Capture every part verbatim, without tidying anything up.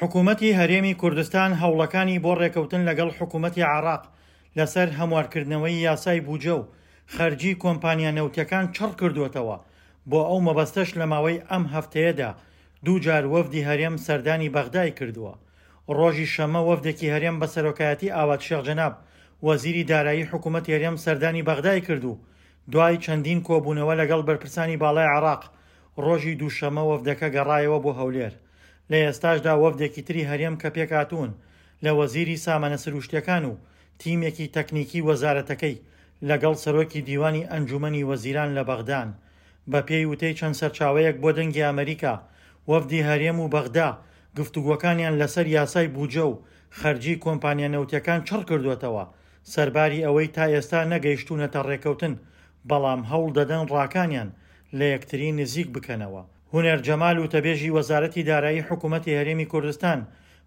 حکوومەتی هەرێمی کوردستان هەوڵەکانی بۆ ڕێکەوتن لەگەڵ حکوومەتی عێراق لەسەر هەموارکردنەوەی یاسای بودجە و خەرجی کۆمپانیا نەوتیەکان چڕ کردووەتەوە. بۆ ئەو مەبەستەش لە ماوەی ئەم هەفتەیەدا دوو جار وەفدی هەرێم سەردانی بەغدای کردووە. ڕۆژی شەممە وەفدێکی هەرێم بە سەرۆکایەتی ئاوات شێخ جەناب وەزیری دارایی حکوومەتی هەرێم سەردانی بەغدای کرد و دوای چەندین کۆبوونەوە لەگەڵ بەرپرسانی باڵای عێراق ڕۆژی دووشەممە وەفدەکە گەڕایەوە بۆ هەولێر. لە ئێستاشدا وەفدێکی تری هەرێم کە پێکهاتوون لە وەزیری سامانە سروشتیەکان و تیمێکی تەکنیکی وەزارەتەکەی لەگەڵ سەرۆکی دیوانی ئەنجومەنی وەزیران لە بەغدان. بەپێی وتەی چەند سەرچاوەیەک بۆ دەنگی ئەمەریکا، وەفدی هەرێم و بەغدا گفتوگۆکانیان لەسەر یاسای بودجە و خەرجی کۆمپانیا نەوتیەکان چڕ کردووەتەوە، سەرباری ئەوەی تا ئێستا نەگەیشتوونەتە ڕێکەوتن، بەڵام هەوڵ دەدەن ڕاکانیان لە یەکتری نزیک بکەنەوە. هونەر جەمال وتەبێژی وەزارەتی دارایی حکوومەتی هەرێمی کوردستان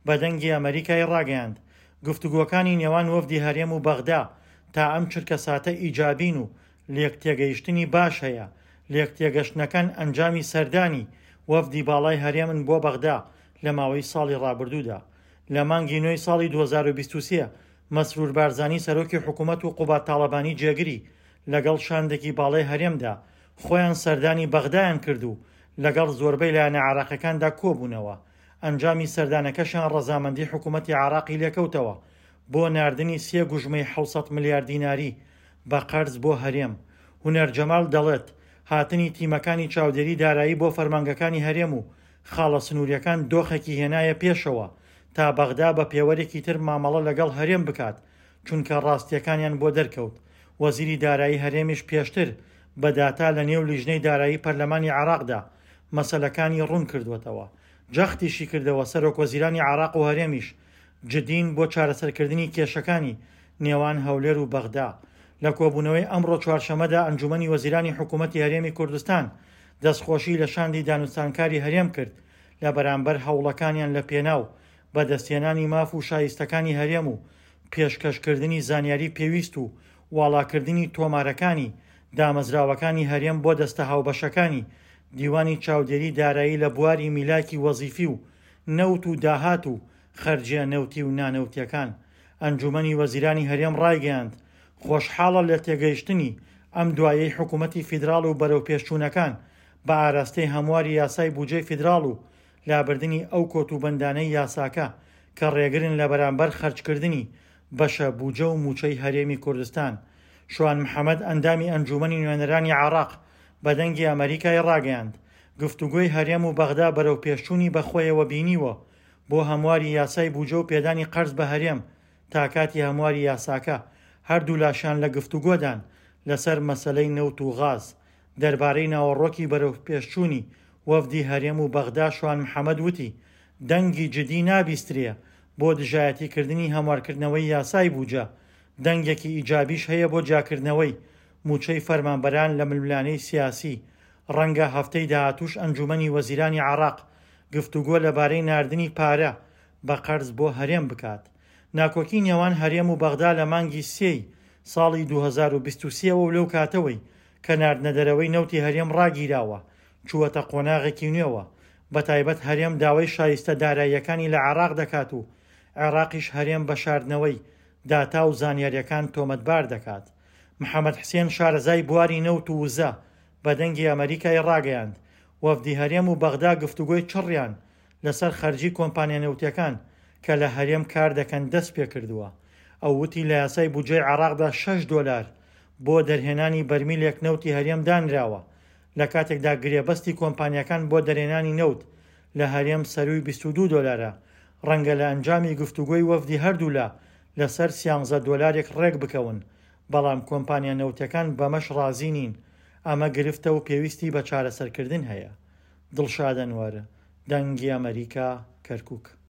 بە دەنگی ئەمەریکای ڕاگەیاند، گفتوگۆکانی نێوان وەفدی هەرێم و بەغدا تا ئەم چرکە ساتە ئیجابین و لێکتێگەیشتنی باش هەیە. لێکتێگەشتنەکان ئەنجامی سەردانی وەفدی باڵای هەرێمن بۆ بەغدا لە ماوەی ساڵی ڕابردوودا. لە مانگی نۆی ساڵی دوو هەزار و بیست و سێ مەسرور بارزانی سەرۆکی حکوومەت و قوباد تاڵەبانی جێگری لەگەڵ شاندێکی باڵای هەرێمدا خۆیان سەردانی بەغدایان کرد و لەگەڵ زۆربەی لایەنە عێراقیەکاندا کۆبوونەوە. ئەنجامی سەردانەکەشیان ڕەزامەندی حکوومەتی عێراقی لێکەوتەوە بۆ ناردنی سێ گوژمەی حەوت سەد ملیار دیناری بە قەرز بۆ هەرێم. هونەر جەمال دەڵێت هاتنی تیمەکانی چاودێری دارایی بۆ فەرمانگەکانی هەرێم و خاڵە سنووریەکان دۆخێکی هێنایە پێشەوە تا بەغدا بە پێوەرێکی تر مامەڵە لەگەڵ هەرێم بکات، چونکە ڕاستیەکانیان بۆ دەرکەوت. وەزیری دارایی هەرێمیش پێشتر بە داتا لە نێو لیژنەی دارایی پەرلەمانی عێراقدا مەسەلەکانی ڕوون کردووەتەوە. جەختیشی کردەوە سەرۆک وەزیرانی عێراق و هەرێمیش جدین بۆ چارەسەرکردنی کێشەکانی نێوان هەولێر و بەغدا. لە کۆبوونەوەی ئەمڕۆ چوارشەممەدا ئەنجومەنی وەزیرانی حکوومەتی هەرێمی کوردستان دەستخۆشی لە شاندی دانوستانکاری هەرێم کرد لە بەرامبەر هەوڵەکانیان لە پێناو بەدەستهێنانی ماف و شایستەکانی هەرێم و پێشکەشکردنی زانیاری پێویست و واڵاکردنی تۆمارەکانی دامەزراوەکانی هەرێم بۆ دەستە هاوبەشەکانی دیوانی چاودێری دارایی لە بواری میلاکی وەزیفی و نەوت و داهات و خەرجیە نەوتی و نانەوتیەکان. ئەنجومەنی وەزیرانی هەرێم ڕایگەیاند خۆشحاڵە لە تێگەیشتنی ئەم دوایەی حکوومەتی فیدراڵ و بەرەو پێشچوونەکان بە ئاراستەی هەمواری یاسای بودجەی فیدراڵ و لابردنی ئەو کۆتوبەندانەی یاساکە کە ڕێگرن لە بەرامبەر خەرجکردنی بەشە بودجە و موچەی هەرێمی کوردستان. شوان محەممەد ئەندامی ئەنجومەنی نوێنەرانی عێراق بە دەنگی ئەمەریکای ڕاگەیاند گفتوگۆی هەرێم و بەغدا بەرەو پێشچوونی بەخۆیەوە بینیوە بۆ هەمواری یاسای بودجە و پێدانی قەرز بە هەرێم تا کاتی هەمواری یاساکە هەردوو لاشان لە گفتوگۆدان لەسەر مەسەلەی نەوت و غاز. دەربارەی ناوەڕۆکی بەرەو پێشچوونی وەفدی هەرێم و بەغدا شوان محەممەد وتی دەنگی جدی نابیسترێ بۆ دژایەتیکردنی هەموارکردنەوەی یاسای بودجە، دەنگێکی ئیجابیش هەیە بۆ جیاکردنەوەی موچەی فەرمانبەران لە ململانێی سیاسی. ڕەنگە هەفتەی داهاتوش ئەنجومەنی وەزیرانی عێراق گفتوگۆ لەبارەی ناردنی پارە بە قەرز بۆ هەرێم بکات. ناکۆکی نێوان هەرێم و بەغدا لە مانگی سێی ساڵی دوو هەزار و بیست و سێ وە لەو کاتەوەی کە ناردنە دەرەوەی نەوتی هەرێم ڕاگیراوە چووەتە قۆناغێکی نوێوە. بەتایبەت هەرێم داوای شایستە داراییەکانی لە عێراق دەکات و عێراقیش هەرێم بە شاردنەوەی داتا و زانیاریەکان تۆمەتبار دەکات. محەممەد حسێن شارەزای بواری نەوت و وزە بە دەنگی ئەمەریکای ڕاگەیاند وەفدی هەرێم و بەغدا گفتوگۆی چڕیان لەسەر خەرجی کۆمپانیا نەوتیەکان کە لە هەرێم کار دەکەن دەست پێ کردووە. ئەو وتی لە یاسای بودجەی عێراقدا شەش دۆلار بۆ دەرهێنانی بەرمیلێک نەوتی هەرێم دانراوە، لە کاتێکدا گرێبەستی کۆمپانیاکان بۆ دەرهێنانی نەوت لە هەرێم سەروی بیست و دوو دۆلارە. ڕەنگە لە ئەنجامی گفتوگۆی وەفدی هەردوولا لەسەر سیانزە دۆلارێک ڕێک بکەون، بەڵام کۆمپانیا نەوتەکان بەمەش ڕازی نین. ئەمە گرفتە و پێویستی بە چارەسەرکردن هەیە. دڵشاد ئەنوەر، دەنگی ئەمەریکا، کەرکووک.